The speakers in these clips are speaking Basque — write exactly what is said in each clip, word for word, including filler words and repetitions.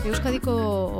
Euskadiko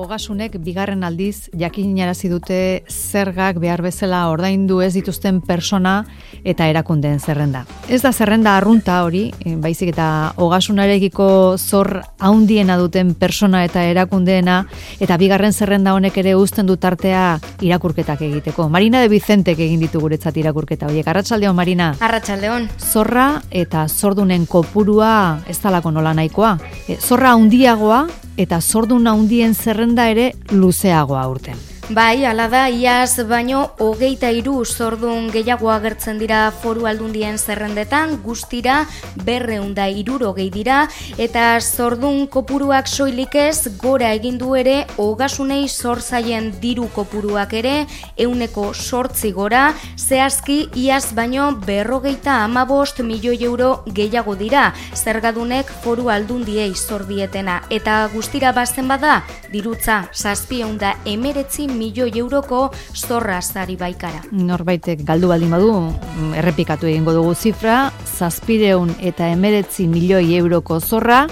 ogasunek bigarren aldiz jakinarazi dute zergak behar bezala ordaindu ez dituzten persona eta erakundeen zerrenda. Ez da zerrenda arrunta hori, baizik eta ogasunarekiko zor haundiena duten persona eta erakundeena, eta bigarren zerrenda honek ere uzten du tartea irakurketak egiteko. Marina de Vicentek egin ditu guretzat irakurketa horiek. Arratsaldeon, Marina. Arratsaldeon. Zorra eta zordunen kopurua ez dalako nola nahikoa. Zorra handiagoa eta zordun handien zerrenda ere luzeagoa urten. Bai, hala da, iaz baino hogeita hiru zordun gehiago agertzen dira foru aldundien zerrendetan, guztira berrehun eta hirurogei dira, eta zordun kopuruak soilik ez gora egin du ere ogasunei zor zaien diru kopuruak ere ehuneko zortzi gora, zehazki iaz baino berrogeita hamabost milioi euro gehiago dira, zergadunek foru aldundiei zor dietena, eta guztira bazen bada dirutza zazpiehun eta hemeretzi milioi euroko zorra zari baikara. Norbaitek galdu baldin badu, errepikatu egingo dugu zifra, zazpiehun eta hemeretzi milioi euroko zorra,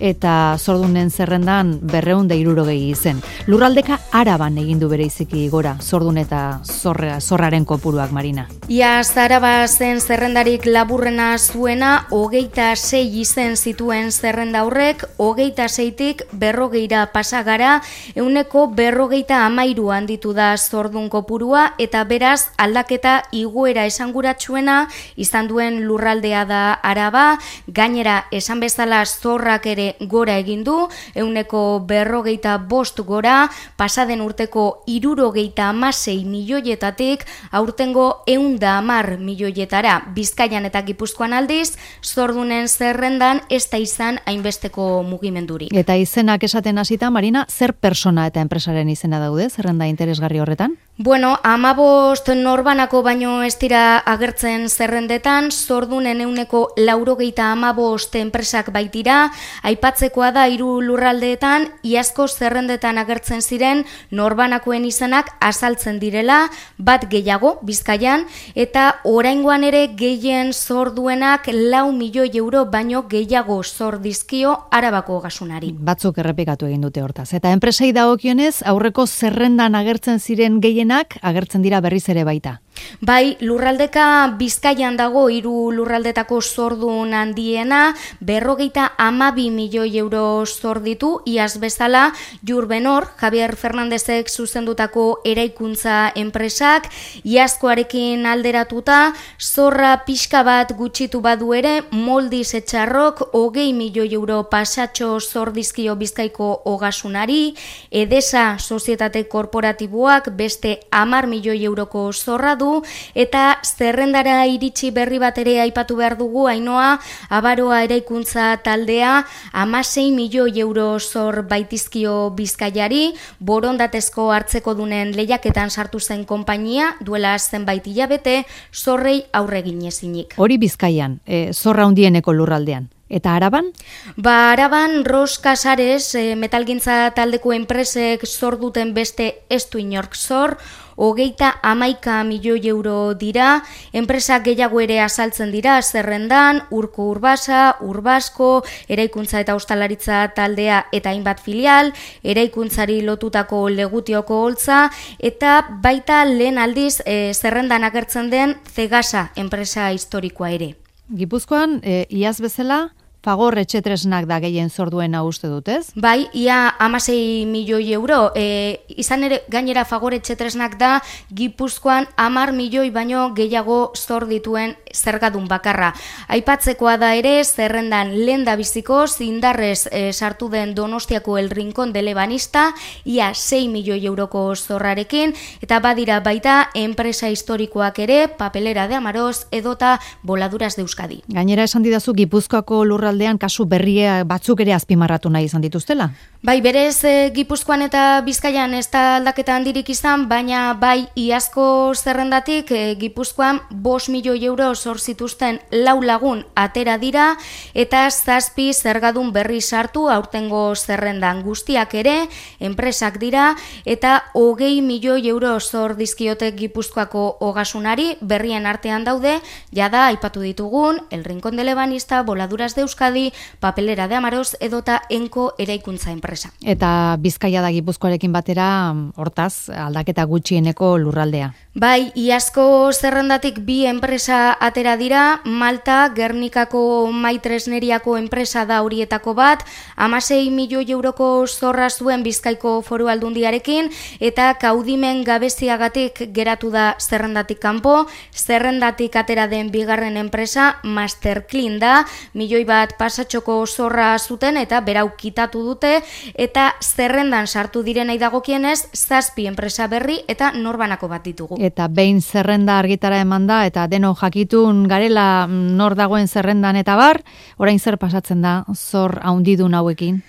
eta zordunen zerrendan berrehun eta hirurogei izen. Lurraldeka Araban egin du bereiziki gora, zordun eta zorra, zorraren kopuruak, Marina. Iaz Araba zen zerrendarik laburrena zuena, hogeita sei izen zituen zerrenda horrek, hogeita seitik berrogeira pasagara, ehuneko berrogeita hamairu handitu da zordun kopurua, eta beraz aldaketa igoera esanguratsuena izan duen lurraldea da Araba, gainera esan bezala zorrak ere gora egin du, ehuneko berrogeita bost gora, pasaden urteko hirurogeita hamasei milioietatik aurtengo ehun eta hamar milioietara. Bizkaian eta Gipuzkoan aldiz, zordunen zerrendan ez da izan hainbesteko mugimendurik. Eta izenak esaten hasita, Marina, zer persona eta enpresaren izena daude zerrenda interesgarri horretan? Bueno, hamabost norbanako baino ez dira agertzen zerrendetan, zordunen ehuneko laurogeita hamabost enpresak baitira, aipatzekoa da hiru lurraldeetan, iazko zerrendetan agertzen ziren norbanakoen izenak azaltzen direla, bat gehiago Bizkaian, eta oraingoan ere gehien zor duenak lau milioi euro baino gehiago zor dizkio Arabako ogasunari. Batzuk errepikatu egin dute hortaz. Eta enpresei dagokionez, aurreko zerrendan agertzen ziren gehienak agertzen dira berriz ere baita. Bai, lurraldeka Bizkaian dago hiru lurraldetako zordun handiena, berrogeita hamabi milioi euro zor ditu, iaz bezala Jurbenor, Javier Fernandezek zuzendutako eraikuntza enpresak, iazkoarekin alderatuta, zorra pixka bat gutxitu badu ere, Moldiz Etxarrok hogei milioi euro pasatxo zor dizkio Bizkaiko ogasunari, Edesa sozietate korporatiboak beste hamar milioi euroko zorra du, eta zerrendara iritsi berri bat ere aipatu behar dugu, Ainoa, Abaroa eraikuntza taldea hamasei milioi euro zor baitizkio Bizkaiari, borondatezko hartzeko dunen lehiaketan sartu zen konpainia, duela zenbait hilabete, zorrei aurregin ezinik. Hori Bizkaian, e, zorra handieneko lurraldean. Eta Araban? Ba, Araban Ros Casares, e, metalgintza taldeko enpresek zor duten beste ez du inork zor, hogeita hamaika milioi euro dira, enpresak gehiago ere azaltzen dira zerrendan, Urko Urbasa, Urbasko, eraikuntza eta ostalaritza taldea eta hainbat filial, eraikuntzari lotutako Legutioko holtza, eta baita lehen aldiz e, zerrendan agertzen den Cegasa enpresa historikoa ere. Gipuzkoan, e, iaz bezala, Fagor etxetresnak da gehien zor duena uste dutez? Bai, ia hamasei milioi euro. E, izan ere, gainera Fagor etxetresnak da Gipuzkoan hamar milioi baino gehiago zor dituen zergadun bakarra. Aipatzekoa da ere, zerrendan lehen da biziko, zindarrez e, sartu den Donostiako El Rincón de Lebanista, ia sei milioi euroko zorrarekin, eta badira baita enpresa historikoak ere, Papelera de Amaroz edota Voladuras de Euskadi. Gainera esan didazu Gipuzkoako lurra aldean kasu berria batzuk ere azpimarratu nahi izan dituztela? Bai, berez e, Gipuzkoan eta Bizkaian ez da aldaketa handirik izan, baina bai iazko zerrendatik e, Gipuzkoan bost milioi euro zor zituzten lau lagun atera dira, eta zazpi zergadun berri sartu aurtengo zerrendan, guztiak ere enpresak dira, eta hogei milioi euro zor dizkiote Gipuzkoako ogasunari, berrien artean daude, jada aipatu ditugun, El Rincón de Lebanista, Voladuras de Euskadi, Euskadi, Papelera de Amaroz edota Enko eraikuntza enpresa. Eta Bizkaia da Gipuzkoarekin batera, hortaz, aldaketa gutxieneko lurraldea. Bai, iazko zerrendatik bi enpresa atera dira, Malta, Gernikako Maitresneriako enpresa da horietako bat, hamasei milioi euroko zorra zuen Bizkaiko Foru Aldundiarekin, eta kaudimen gabeziagatik geratu da zerrendatik kanpo, zerrendatik atera den bigarren enpresa, Masterclean da, milioi bat pasatxoko zorra zuten eta berau kitatu dute, eta zerrendan sartu direnei dagokienez, zazpi enpresa berri eta norbanako bat ditugu. Eta behin zerrenda argitara eman da, eta deno jakitun garela nor dagoen zerrendan eta bar, orain zer pasatzen da zor haundidun hauekin?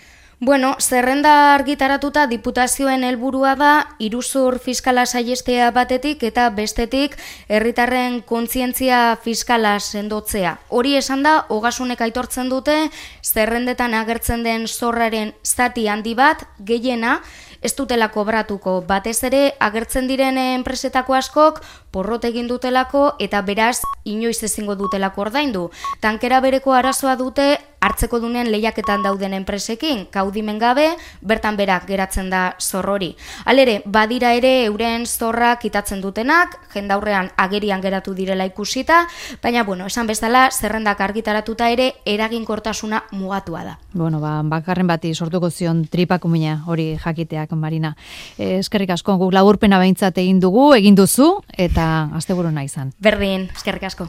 Bueno, zerrenda argitaratuta diputazioen helburua da iruzur fiskala saihestea batetik eta bestetik herritarren kontzientzia fiskala sendotzea. Hori esan da, Ogasunek aitortzen dute, zerrendetan agertzen den zorraren zati handi bat, gehiena, ez dutela kobratuko, batez ere agertzen diren enpresetako askok porrot egin dutelako eta beraz inoiz ezingo dutelako ordaindu. Tankera bereko arazoa dute hartzeko dunen lehiaketan dauden enpresekin, kaudimen gabe, bertan berak geratzen da zorrori. Halere, badira ere euren zorra kitatzen dutenak, jendaurrean agerian geratu direla ikusita, baina bueno, esan bezala zerrendak argitaratuta ere eraginkortasuna mugatua da. Bueno, ba, bakarren bati sortuko zion tripakumina hori jakiteak, Marina. Eh, eskerrik asko, guk laburpena behintzat egin dugu, egin duzu, eta asteburu nahi izan. Berdin, eskerrik asko.